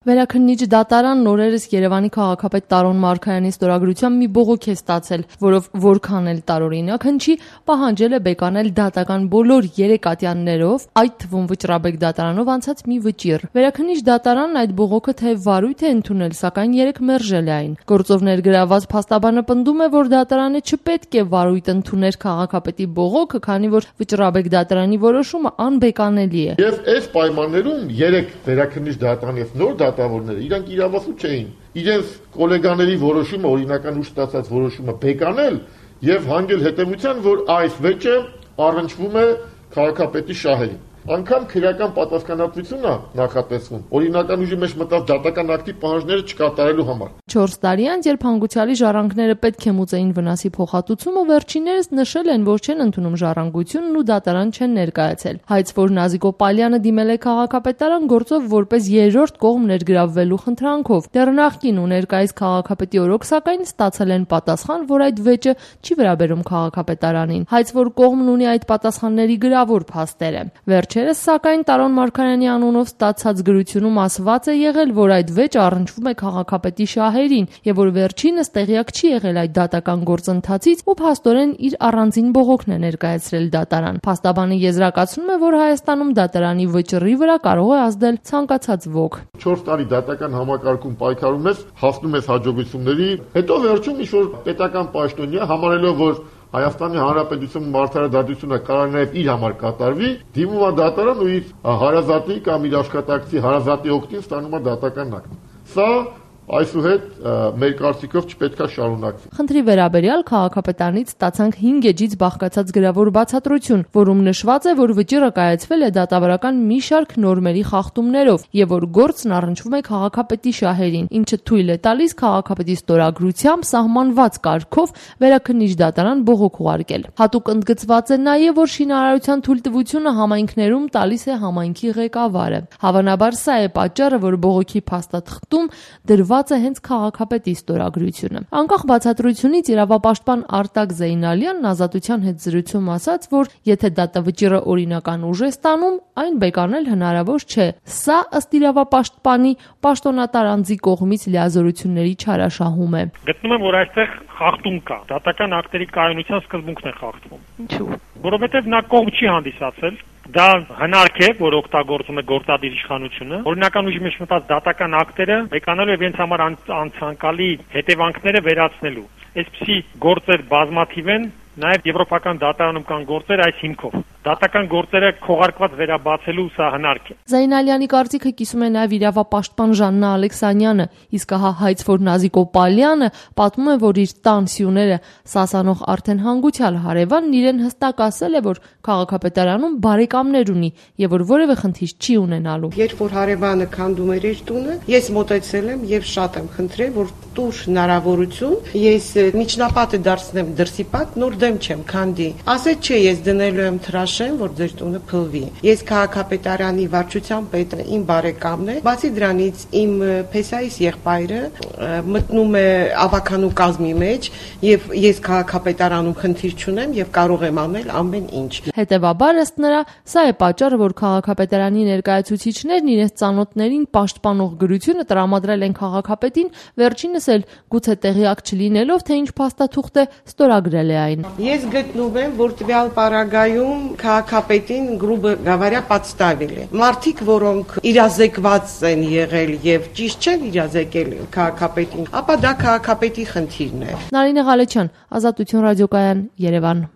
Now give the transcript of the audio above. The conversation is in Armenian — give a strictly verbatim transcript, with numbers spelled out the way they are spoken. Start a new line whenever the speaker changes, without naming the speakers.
Վերաքննիչ դատարանն օրերս Երևանի քաղաքապետ Տարոն Մարգարյանի ստորագրությամբ մի բողոք է ստացել, որով որքան էլ տարօրինակ հնչի, պահանջել է բեկանել դատական բոլոր երեք ատյաններով, այդ թվում Վճռաբեկ դատարանով անցած մի վճիռ։ Վերաքննիչ դատարանն այդ բողոքը թե վարույթ է ընդունել, սակայն երեք մերժել է այն։ Գործով ներգրավված փաստաբանը պնդում է, որ դատարանը չպետք է վարույթ ընդուներ քաղաքապետի բողոքը, քանի որ Վճռաբեկ դատարանի որոշումը անբեկանելի է։
Եվ այս պայմաններում երեք վերաքննիչ դատարանի եւ նոր դատավորները իրանք իրավասու չէին իրենց գոլեգաների որոշումը, օրինական ուժ ստացած որոշումը բեկանել եւ հանգել հետեւության, որ այս վեճը առնչվում է քաղաքապետի շահերին։ Անկամ քրեական պատասխանատվությունը նախատեսվում օրինական ուժի մեջ մտած դատական ակտի պահանջները չկատարելու համար։
Չորս տարի անց, երբ հանգուցյալի ժառանգները պետք է մուծեին վնասի փոխհատուցումը, վերջիններս նշել են, որ չեն ընդունում ժառանգությունն ու դատարան չեն ներկայացել։ Հայց, որ Նազիկո Պալյանը դիմել է քաղաքապետարան գործով որպես երրորդ կողմ ներգրավվելու խնդրանքով։ Դեռ նախկին ու ներկայիս քաղաքապետի օրոք, սակայն ստացել են պատասխան, որ այդ վեճը չի վերաբերում քաղաքապետարանին։ Հայց, որ կողմն ունի այդ պատասխանների գրավոր փաստերը։ Վերջերս, սակայն, Տարոն Մարգարյանի անունով ստացած գրությունում ասված է եղել, որ այդ վեճը առնչվում է քաղաքապետի շահերին եւ որ վերջինս տեղյակ չի եղել այդ դատական գործընթացից ու փաստորեն իր առանձին բողոքն է ներկայացրել դատարան։ Փաստաբանը եզրակացնում է, որ Հայաստանում դատարանի վճռի վրա կարող է ազդել ցանկացած ոք։
Չորս տարի դատական համակարգում պայքարում ես, հասնում ես հաջողությունների, հետո վերջում ինչ-որ պետական պաշտոնյա համարելով, որ Հայաստանի Հանրապետությունում մարդարադատությունը կարող է նաև իր համար կատարվի, դիմում է դատարան ու իր հարազատի կամ իր աշխատակցի հարազատի օգտին ստանում է դատական ակտ։ Սա այսուհետ մեր կարծիքով չպետք է շարունակվի։
Խնդրի վերաբերյալ քաղաքապետարանից ստացանք հինգ էջից բաղկացած գրավոր բացատրություն, որում նշված է, որ վճիռը կայացվել է դատավարական մի շարք նորմերի խախտումներով եւ որ գործն առնչվում է քաղաքապետի շահերին, ինչը թույլ է տալիս քաղաքապետի ստորագրությամբ սահմանված կարգով վերաքննիչ դատարան բողոք ուղարկել։ Հատուկ ընդգծված է նաեւ, որ շինարարության թույլտվությունը համայնքներում տալիս է համայնքի ղեկավարը։ Հավանաբար սա է պատճառը, որ բողոքի փաստաթղթում դրված է հենց քաղաքապետի ստորագրությունը։ Անկախ բացատրությունից իրավապաշտպան Արտակ Զեյնալյանն Ազատության հետ զրույցում ասաց, որ եթե դատավճիռը օրինական ուժ է ստանում, այն բեկանել հնարավոր չէ։ Սա ըստ իրավապաշտպանի պաշտոնատար անձի կողմից լիազորությունների չարաշահում է։
Գտնում եմ, որ այստեղ խախտում կա։ Դատական ակտերի կայունության սկզբունքն է խախտվում։
Ինչու՞։
Որովհետև նա կողմ չի հանդիսացել։ Դա հնարք է, որ օգտագործում է գործադիր իշխանությունը։ Օրինական ուժի մեջ մտած դատական ակտերը բեկանալու եւ իրենց համար անցանկալի հետևանքները վերացնելու։ Այսպիսի գործեր բազմաթիվ են, նաեւ եվրոպական դատարանում կան գործեր այս հիմքով։ Դատական գործերը քողարկված վերաբացելու սա հնարք է։
Զայնալյանի կարծիքը կիսում է նաև իրավապաշտպան Ժաննա Ալեքսանյանը, իսկ հա Հայց, որ Նազիկո Պալյանը պատմում է, որ իր տան սյուները սասանող արդեն հանգուցյալ հարևանն իրեն հստակ ասել է, որ քաղաքապետարանում բարեկամներ ունի եւ որ որևէ խնդիր չի ունենալու։
Երբ որ հարևանը քանդում էր իր տունը, ես մոտեցել եմ եւ շատ եմ խնդրել, որ տուր հնարավորություն, ես միջնապատը դարձնեմ դրսի պատ, նոր դեմ չեմ քանդի։ Ասեց չէ, ես դնելու եմ թրաշեմ, որ ձեր տունը փլվի։ Ես քաղաքապետարանի վարչության պետը իմ բարեկամն է, բացի դրանից իմ փեսայիս եղբայրը մտնում է ավականու կազմի մեջ եւ ես քաղաքապետարանում խնդիր չունեմ եւ կարող եմ անել ամեն ինչ։
Հետևաբար ըստ նրա, սա է պատճառը, որ քաղաքապետարանի ներկայացուցիչներն իրենց ծանոթներին պաշտպանող գրությունը տրամադրել են քաղաքապետին, վերջինս էլ գուցե տեղյակ չլինելով, թե ինչ փաստաթուղթ է, ստորագրել է այն։
Ես գտնում եմ, որ տվյալ պարագայում քաղաքապետին գրուբը գավարյա պատստավել է։ Մարդիկ, որոնք իրազեկված են եղել եւ ճիշտ չեն իրազեկել քաղաքապետին, ապա դա քաղաքապետի խնդիրն է։
Նարինե Ղալեչյան, Ազատություն ռադիոկայան, Երևան։